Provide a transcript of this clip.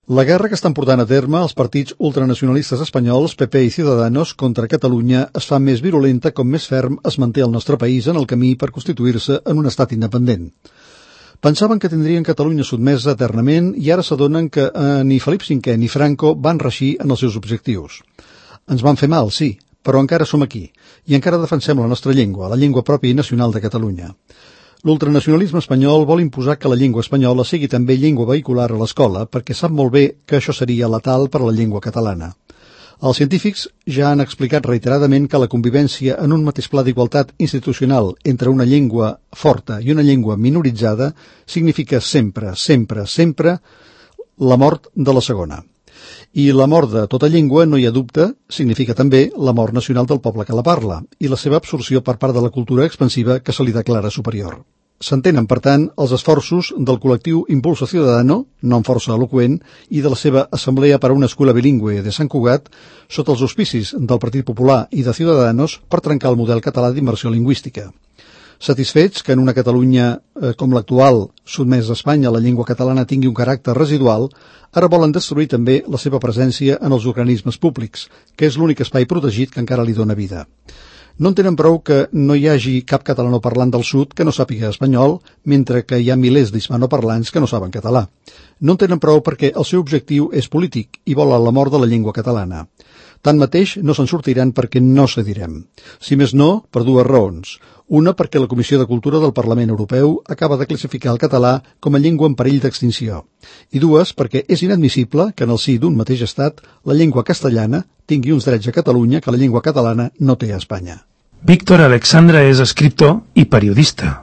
La guerra que estan portant a terme els partits ultranacionalistes espanyols, PP i Ciudadanos, contra Catalunya es fa més virulenta com més ferm es manté el nostre país en el camí per constituir-se en un estat independent. Pensaven que tindrien Catalunya sotmesa eternament i ara s'adonen que ni Felip V ni Franco van reeixir en els seus objectius. Ens van fer mal, sí, però encara som aquí i encara defensem la nostra llengua, la llengua pròpia i nacional de Catalunya. L'ultranacionalisme espanyol vol imposar que la llengua espanyola sigui també llengua vehicular a l'escola perquè sap molt bé que això seria letal per a la llengua catalana. Els científics ja han explicat reiteradament que la convivència en un mateix pla d'igualtat institucional entre una llengua forta i una llengua minoritzada significa sempre, sempre, sempre la mort de la segona. I la mort de tota llengua, no hi ha dubte, significa també la mort nacional del poble que la parla i la seva absorció per part de la cultura expansiva que se li declara superior. S'entenen, per tant, els esforços del col·lectiu Impulso Ciudadano, nom força eloqüent, i de la seva Assemblea per a una Escola Bilingüe de Sant Cugat, sota els auspicis del Partit Popular i de Ciudadanos, per trencar el model català d'immersió lingüística. Satisfets que en una Catalunya com l'actual, sotmesa a Espanya, la llengua catalana tingui un caràcter residual, ara volen destruir també la seva presència en els organismes públics, que és l'únic espai protegit que encara li dóna vida. No entenen prou que no hi hagi cap catalanoparlant del sud que no sàpiga espanyol, mentre que hi ha milers d'hispanoparlants que no saben català. No entenen prou perquè el seu objectiu és polític i volen la mort de la llengua catalana. Tanmateix, no se'n sortiran perquè no cedirem. Si més no, per dues raons. Una, perquè la Comissió de Cultura del Parlament Europeu acaba de classificar el català com a llengua en perill d'extinció. I dues, perquè és inadmissible que en el si d'un mateix estat la llengua castellana tingui uns drets a Catalunya que la llengua catalana no té a Espanya. Víctor Alexandre és escriptor i periodista.